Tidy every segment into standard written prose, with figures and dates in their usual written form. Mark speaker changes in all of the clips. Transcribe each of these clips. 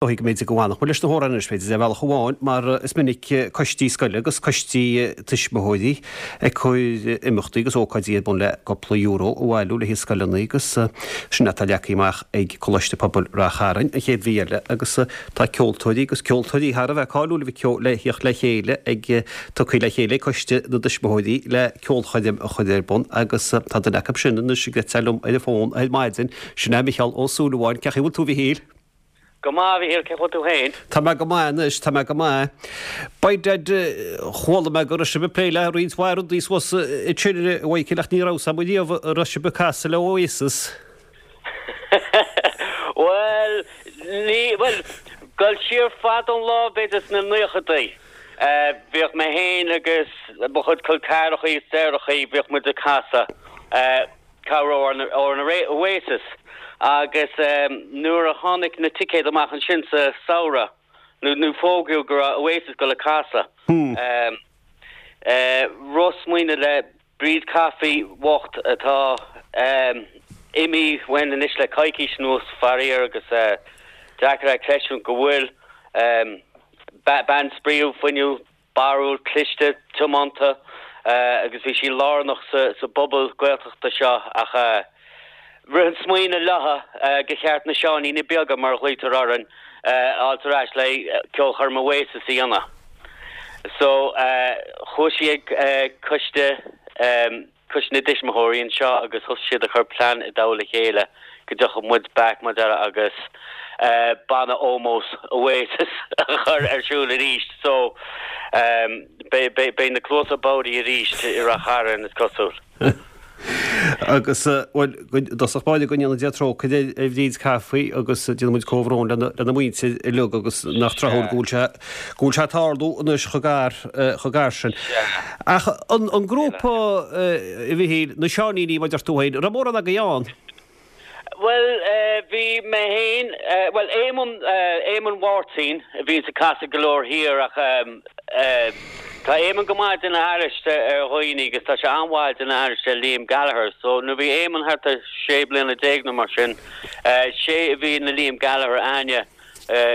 Speaker 1: Dóigh go mb'fhéidir go bhfanfadh muid leis na hamhráin anois, b'fhéidir, ar bhealach amháin, mar is minic coistí scoile agus coistí tuismitheoirí ag cur imeachtaí agus ócáidí ar bun le cúpla euro a bhailiú le haghaidh scoileanna agus sin atá leagtha amach ag Coláiste Pobail Rath Chairn an chéad mhí eile agus tá ceoltóirí agus ceoltóirí thar a bheith cáiliúil le theacht le chéile ag tugtha le chéile ag Coiste na dTuismitheoirí le ceolchoirm a chur ar bun agus tá duine acu sin anois ag eitseáil liom ar an bhfón ar maidin, sin é Micheál Ó Súilleabháin. Cén chaoi a bhfuil tú a Mhichíl?
Speaker 2: Go maith, a Mhichíl, cén chaoi a bhfuil tú féin?
Speaker 1: Tá mé go maith anois, tá mé go maith. By dad, chuala mé go raibh sibh ag plé le roinnt mhaith rudaí suas ansin, a Mhichíl, ach ní raibh 'fhios a'm riamh an raibh sibh ag casadh le Oasis.
Speaker 2: Bhuel, ní, bhuel, dul siar fada an lá, b'fhéidir sna naochadaí, bhíodh mé féin agus mo chuid col ceathrachaí is deartháireachaí, bhíodh muid ag casadh. Cabhrú ar na Oasis agus nuair a tháinig na ticéid amach ansin sa samhradh, nó fógraíodh go raibh Oasis ag dul a casadh, rith smaoineamh le Bríd Coffey bhocht atá imithe uainn anois le coicís anuas, faraor, agus deacair é a chreidiúint go bhfuil, bean spraíúil, fuinniúil, barrúil, cliste, tiomanta agus bhí sí lárnach sa bpobal Gaeltachta seo ach rith an smaoineamh léi gur cheart na Seáiníní Beaga, mar a ghlaoitear orainn, a fháilt ar ais le ceolchoirm Oasis a dhéanamh. So chuaigh sí ag coiste. Coiste na dTuismitheoirí anseo agus thosaigh siad ag cur plean i dtoll a chéile go dtiocfadh muid back mar a déarfá agus banna ómóis Oasis a chur ar siúl arís so beidh na cluasa bodhraí arís i Rath Chairn is cosúil.
Speaker 1: Agus, bhuel, i dtosach báire go ndéana Dia trócaire ar Bhríd Coffey agus déanann muid comhbhrón lena muintir uilig agus nach tráthúil go bhfuil sé go bhfuil sé ag tarlú anois chomh gar, chomh gar sin. Ach an grúpa, a Mhichíl, na Seáiníní, mar a deir tú féin, an raibh mórán agaibh ann?
Speaker 2: Bhuel, bhí mé féin, bhuel, Éamonn, Éamonn Mháirtín a bhíonns ag casadh go leor thiar ach tá Éamonn go maith ag déanamh aithris ar dhaoine agus tá sé an-mhaith ag déanamh aithris ar Liam Gallagher. So nuair a bhí Éamonn thart ar sé bliana déag nó mar sin, sé a bhí ina Liam Gallagher a'inne.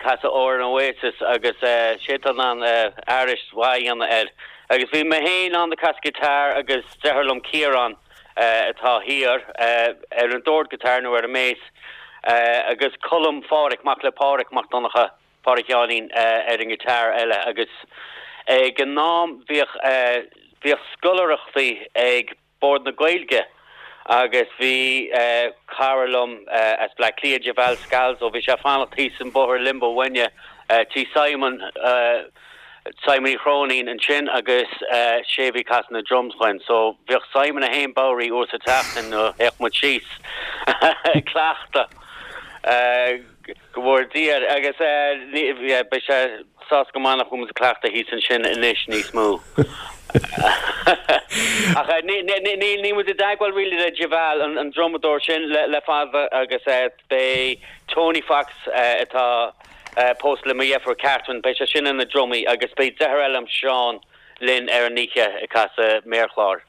Speaker 2: Casadh amhrán Oasis agus sé atá in ann aithris mhaith a dhéanamh air. Agus bhí mé féin ann ag casadh guitar agus deartháir liom Ciarán atá thiar ar an dord guitar nó ar an mbass agus Colm Phádhraic, mac le Pádhraic Mac Donncha, Pádhraic Sheáinín ar an guitar eile agus ag an am bhíodh bhíodh scoláireachtaí ag Bord na Gaeilge agus bhí cara liom as Bleá Cliath, Javal Scalzo, bhí sé ag fanacht thíos an bóthar Limbo uainne, tí Simon, Simon Uí Chróinín ansin agus sé a bhí ag casadh na drums dhuinn. So bhíodh Simon é féin bodhraí uair sa tseachtain nuair a théadh muid síos ag cleachtadh. Go bhfóire Dia air. Agus beidh sé sásta go maith nach bhfuil muid ag cleachtadh thíos ansin anois níos mó. Ach níl muid i dteagmháil really le Javal, an drumadóir sin, le fada agus beidh Tony Fox atá pósta le mo dheirfiúr Catherine, beidh sé sin ina dhrumaí agus beidh deartháir eile liom, Seán, linn ar an oíche ag casadh méarchláir.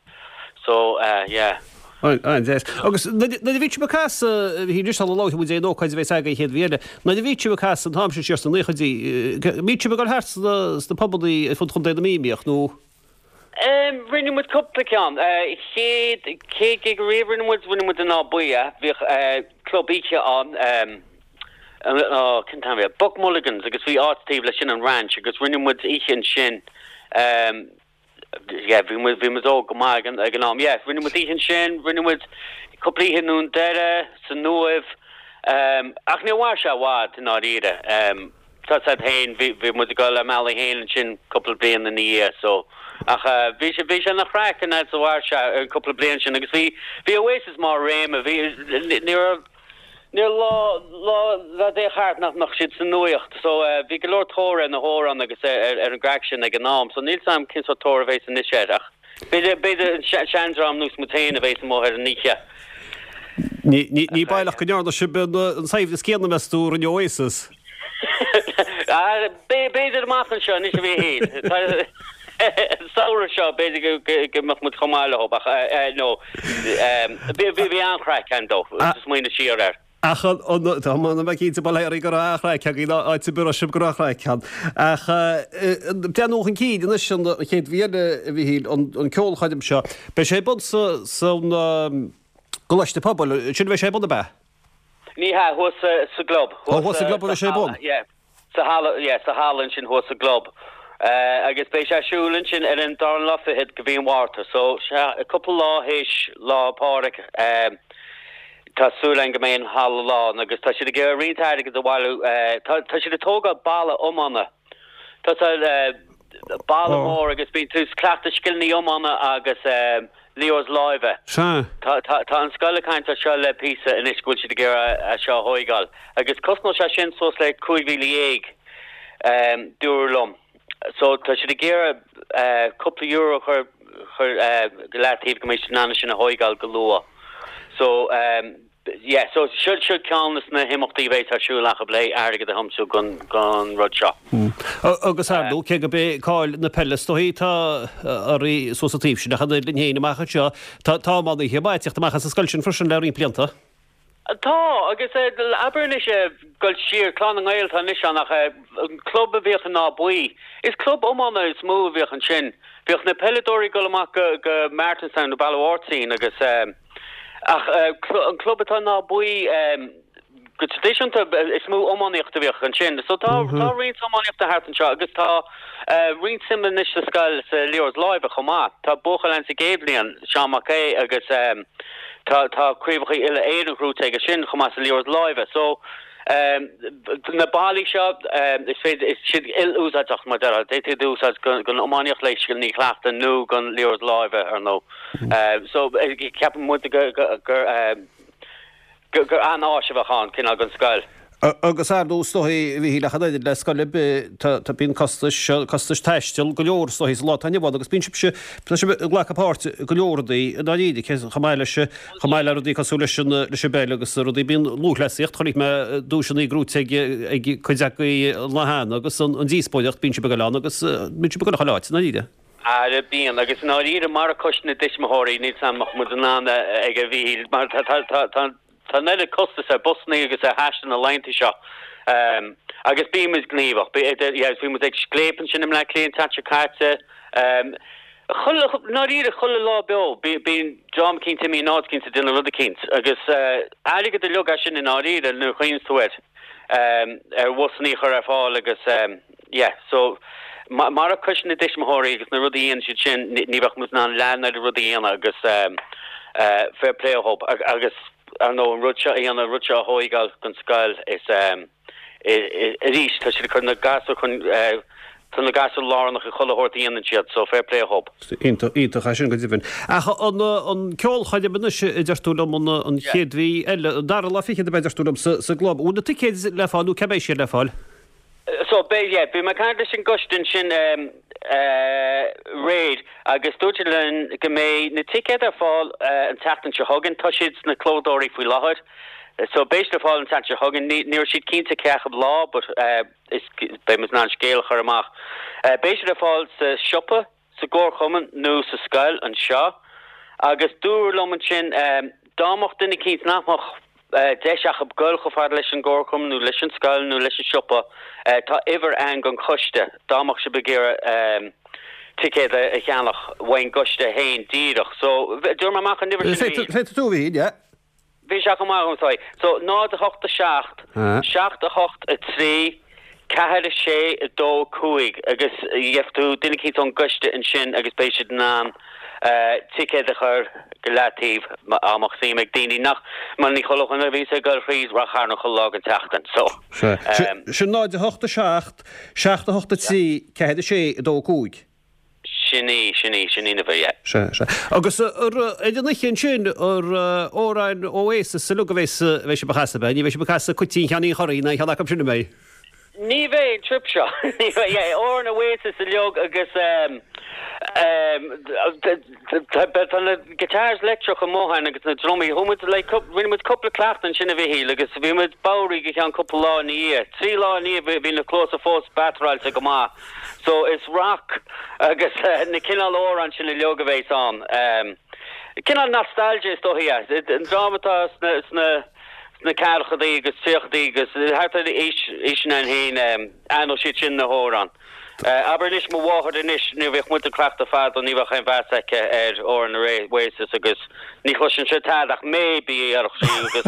Speaker 2: So, yeah.
Speaker 1: An-deas. Agus nuair a bhí sibh ag casadh, bhí anois sula labhróidh muid ar an ócáid a bheas agaibh an chéad mhí eile, nuair a bhí sibh ag casadh an t-am sin siar sna naochaidí, an mbíodh sibh ag dul thart sna pubannaí ar fud Chontae na Mí, an mbíodh, nó?
Speaker 2: Rinne muid cúpla ceann. Chéad, chéad gig riamh rinne muid, rinne muid in Áth Buí é. Bhíodh club oíche ann, cén t-ainm a bhí air? Buck Mulligans agus bhí áit taobh leis sin, an Ranch, agus rinne muid oíche ansin, yeah, bhí muid, bhí muid óg go maith ag an, ag an am, yeah, rinne muid oíche ansin, rinne muid cúpla oíche i nDún Doire, san Uaimh, ach níor mhair sé i bhfad i ndáiríre. Tá 'fhios a'd féin, bhí, bhí muid ag dul ár mbealaí féin ansin cúpla bliain ina dhiaidh, so, ach bhí sé, bhí sé ina chraic an fhad is a mhair sé, an cúpla bliain sin agus bhí, bhí Oasis mar réime, bhí, ní raibh, Ní raibh lá, lá, lá a théadh thart nach mbeadh siad sa nuaíocht. So bhí go leor tóir ar na hamhráin agus ar ar an gcraic sin ag an am. So níl 's a'm cén sórt tóir a bhéas anois air ach b'fhéidir, b'fhéidir an seandream nós muid féin a bhéas amuigh ar an oíche.
Speaker 1: Ní, ní, ní baolach go ndearna sibh an, an saibhreas céanna meas tú a rinne Oasis?
Speaker 2: B'fhéidir amach anseo anois a Mhichíl. An samhradh seo b'fhéidir go mbeadh muid chomh maith leo ach no bhí an-chraic ann though, smaoineamh siar air.
Speaker 1: Ach an, tá mé cinnte bail oraibh go raibh an-chraic agaibh nó áit ar bith a raibh sibh go raibh craic ann. Ach breathnú chun cinn anois an chéad mhí eile a Mhichíl, an ceolchoirm seo, beidh sé ar bun sa, san gColáiste Pobail, sin a bheidh sé ar bun ab ea?
Speaker 2: Ní hea, thuas sa gclub.
Speaker 1: Ó, thuas sa gclub a bheidh sé ar bun?
Speaker 2: Yeah. Sa halla, yeah, sa halla ansin thuas sa gclub. Agus beidh sé ar siúl ansin ar an dara lá fichead de mhí an Mhárta. So, sea, cúpla lá théis Lá Pádraig, tá súil againn go mbeidh an halla lán agus tá siad ag iarraidh roinnt airgid a bhailiú. Tá, tá siad ag tógáil balla iomána. Tá sé, balla mór agus bíonn tú ag cleachtadh scileanna iomána agus liathróid láimhe.
Speaker 1: Sea.
Speaker 2: Tá, tá, tá an scoil ag caint ar seo le píosa anois go bhfuil siad ag iarraidh é seo a thóigeáil agus cosnóidh sé sin suas le 15,000, dúradh liom. So tá siad ag iarraidh cúpla euro a chur, chur go leataobh go mbeidh siad in ann é sin a thóigeáil go luath. So. Yeah, so seo seo ceann de na himeachtaí a bheas ar siúl acu le airgead a thiomsú don don rud seo.
Speaker 1: Agus ar ndóigh, cé gurb é cáil na peile is dóichí atá oraibh suas an taobh sin, ach an oiread linn féin amach anseo, tá tá iománaithe maithe ag teacht amach as an scoil sin freisin le roinnt blianta.
Speaker 2: Tá, agus abair anois, dul siar, Clann na nGael atá anois ann ach an club a bhíodh in Áth Buí, is club iomána is mó a bhíodh ansin. Bhíodh na peileadóirí ag dul amach go go Martinstown nó Baile Mháirtín agus. Ach an club atá in Áth Buí, go traidisiúnta, is mó iománaíocht a bhíodh ansin. So tá tá roinnt iománaíochta thart anseo agus tá roinnt suime anois sa scoil sa liathróid láimhe chomh maith. Tá buachaill ann sa gcéad bhliain, Seán Mac Aodha, agus tá tá craobhacha uile-Éireann gnóite aige sin chomh maith sa liathróid láimhe. So na ballaí seo, is féidir, is siad il-úsáideach mar déarfá. D'fhéadfaí iad a úsáid don iománaíocht le scileanna a chleachtadh nó don liathróid láimhe, ar ndóigh. So, ceapann muid gur gur an-áis a bheadh ann, cineál don scoil.
Speaker 1: Agus ar ndóigh, is dóichí, a Mhichíl, ach an oiread le scoil ar bith, tá, bíonn costais, costais taistil go leor is dóichí sa lá atá inniu ann agus bíonn sibhse, tá sibh ag glacadh páirt i go leor rudaí i ndáiríre, chomh maith leis, chomh maith le rudaí cosúil leis an, leis an bpeil agus rudaí, bíonn lúthchleasaíocht, chonaic mé duaiseanna gnóite ag, ag cuid agaibh an lá cheana agus an díospóireacht, bíonn sibh ag dul ann agus bíonn sibh ag dul chuile áit i ndáiríre.
Speaker 2: Ara bíonn, agus i ndáiríre murach coiste na dtuismitheoirí níl 's a'm an mbeadh muid in ann ag a Mhíchíl mar tá tá tá tá tá an oiread costas ar busannaí agus ar thaisteal na laethanta seo agus bíonn muid gníomhach. Bí idir yeah bhí muid ag Scléip ansin i mBleá Cliath an tseachtain seo caite. Chuile i ndáiríre chuile lá beo bí bíonn dream eicínt imithe in áit eicínt ag déanamh rud eicínt agus airgead uilig é sin i ndáiríre nuair a chuimhníonns tú air ar bhusannaí a chur ar fáil agus Yeah, so murach coiste na dtuismitheoirí agus na rudaí a dhéanann siad sin, ní bheadh muid in ann leath an oiread rudaí a dhéanamh agus fair play dhób. Agus ar ndóigh an rud seo a dhéanamh, an rud seo a thóigeáil don scoil is arís tá siad ag cur na gasúir chun, tá na gasúir lárnach i chuile shórt a dhéanann siad, so fair play dhób.
Speaker 1: Iontach, iontach é sin go deimhin. Ach an ceolchoirm anois a deir tú liom an chéad mhí eile, an dara lá fichead ab ea a deir tú liom sa gclub. Bhfuil na ticéid le fáil nó cá mbeidh siad le fáil?
Speaker 2: So, beidh, yeah, bhí mé ag caint leis an gcoiste ansin aréir agus dúirt siad linn go mbeidh na ticéid ar fáil an tseachtain seo chugainn. Tá siad sna clódóirí faoi láthair. So, beidh siad ar fáil an tseachtain seo chugainn. Ní, ní raibh siad cinnte cé acu lá but is, beidh muid in ann scéal a chur amach. Beidh siad ar fáil sa siopa. sa gcomharchumann nó sa scoil anseo agus dúradh liom ansin dá mbeadh duine eicínt nach mbeadh deis acu goil chomh fada leis an gcomharchumann nó leis an scoil nó leis an siopa, tá uimhir ann don choiste dá mbeadh sibh ag iarraidh ticéad a cheannach uaidh an gcoiste féin díreach. So, tabharfaidh mé amach an uimhir
Speaker 1: sin arís. Féadfaidh tú a Mhichíl, yeah.
Speaker 2: Bhí sé chomh maith agam, sorry. So, 0, 8, 7, 7, 8, 3, 4, 6, 2, 5 agus gheobhaidh tú duine eicínt ón gcoiste ansin agus beidh siad in ann ticéad a chur go leataobh dá mbeadh suim ag daoine nach, mar ní chuile dhuine a bhíos ag dul thríd Ráth Chairn chuile lá den tseachtain. So,
Speaker 1: Sin 0, 8, 7, 7, 8, 3, 4, 6, 2, 5.
Speaker 2: Sin í, sin í, sin í an uimhir, yeah.
Speaker 1: Sea, sea. Agus ar an oíche ansin, ar amhráin Oasis uilig a bheas, a bheidh sibh a chasadh, ab ea? Ní bheidh sibh ag casadh Cuitín Sheáinín Churraoin ná aon cheann acu sin, an mbeidh?
Speaker 2: Ní bheidh an trip seo. Ní bheidh, yeah. Amhráin Oasis uilig agus ehm, ehm, tá na guitars leictreach amuigh ann agus na drumaí. Chuaigh muid, like, rinne muid cúpla cleachtadh ansin a Mhichíl agus bhí muid bodhraithe go ceann cúpla lá ina dhiaidh. Trí lá ina dhiaidh bhí na cluasa fós batteráilte go maith. So is rock agus na cineál amhrán sin uilig a bheas ann. Cineál nostalgia is dóichí é. An dream atá sna sna. sna ceathrachaidí agus tríochaidí agus thart ar aois sin againn féin, aithneodh siad sin na hamhráin. Abair anois, mo mháthair anois, nuair a bhíodh muid ag cleachtadh fadó ní bheadh aon mheas aici ar amhráin Oasis agus ní chloiseann sé tada ach maybe a déarfadh sí agus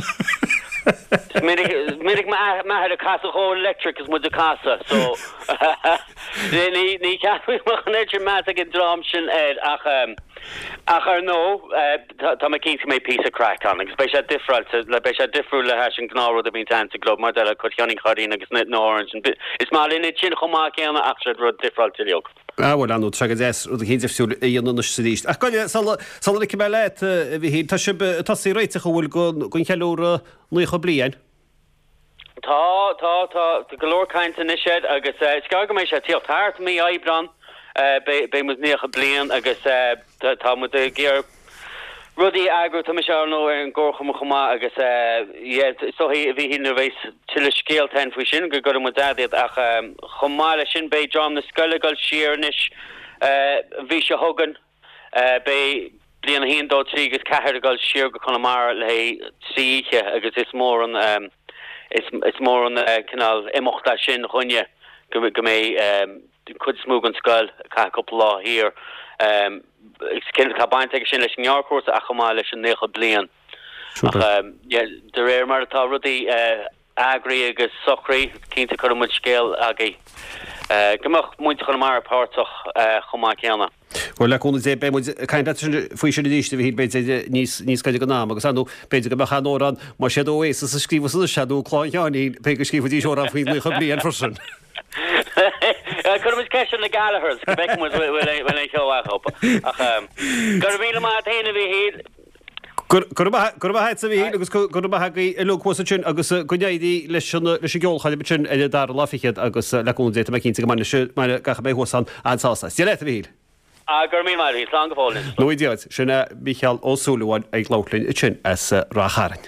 Speaker 2: is minic, minic m'athair ag casadh dhó Electric is muid ag casadh so ní, ní cheapaim go mbeadh an oiread sin meas ag an dream sin air ach, ach ar ndóigh, Tá mé cinnte go mbeidh píosa craic ann agus beidh sé difreáilte, beidh sé difriúil le hais an gnáth rud a bhíonns ann sa gclub mar deir cuid Sheáinín Chairín agus na hamhráin sin. Is maith linn iad sin chomh maith céanna ach siad rud difreáilte uilig.
Speaker 1: Ah bhuel, ar ndóigh, tá sé go deas rud eicínt difriúil a dhéanamh anois is arís. Ach gabh i leith, sula, sula ligfidh mé leat, a Mhichíl, tá sibh ag tosaí ag réiteach an bhfuil don, don cheiliúradh 90 bliain?
Speaker 2: Tá, tá, tá go leor cainte anois air agus is gearr go mbeidh sé ag tíocht thart, mí Aibreán beidh muid 90 bliain agus tá muid ag iarraidh rudaí a eagrú, tá mise ar ndóigh ar an gcomharchumann chomh maith agus yeah is dóichí a Mhíchíl nuair a bheidh tuilleadh scéalta againn faoi sin go gcuirfidh muid agat iad ach chomh maith leis sin beidh dream na scoile ag dul siar anois an mhí seo chugainn. Beidh bliain 1, 2, 3 agus 4 ag dul siar go Conamara le haghaidh 3 oíche agus is mór an is mór an cineál imeacht é sin dhúinne go mbeidh an chuid is mó den scoil ag caitheamh cúpla lá thiar. Tá baint aige sin leis an ngearrchúrsa ach chomh maith leis an 90 bliain. Ach de réir mar atá rudaí eagraithe agus socraithe, cinnte cuirfidh muid scéal agaibh go mbeadh muintir Chonamara páirteach chomh maith céanna.
Speaker 1: Bhuel, le cúnamh Dé, beidh muid ag caint leat faoi sin arís, a Mhichíl, b'fhéidir níos níos gaire don am, agus ar ndóigh, b'fhéidir go mbeadh an amhrán, más iad Oasis a scríobhas anois, nó Clann Sheáinín, b'fhéidir go scríobhfaidís amhrán faoin 90 bliain freisin.
Speaker 2: Cuirfidh muid ceist ar na Gallaghers go bhfeicfidh muid bhfuil aon cheo acu. Ach go raibh míle maith agat féin, a Mhichíl.
Speaker 1: Go raibh maith agatsa, a Mhichíl, agus go raibh maith agaibh uilig thuas ansin agus go n-éirí leis an leis an gceolchoirm ansin ar an dara lá fichead agus le cúnamh Dé tá mé cinnte go mbainfidh gach a mbeidh thuas ann an-sásamh as. Dia leat, a Mhichíl.
Speaker 2: Ah, go raibh míle maith agat, slán go fóill anois.
Speaker 1: Nó Dia duit. Sin é Mícheál Ó Súilleabháin ag labhairt linn ansin as Ráth Chairn.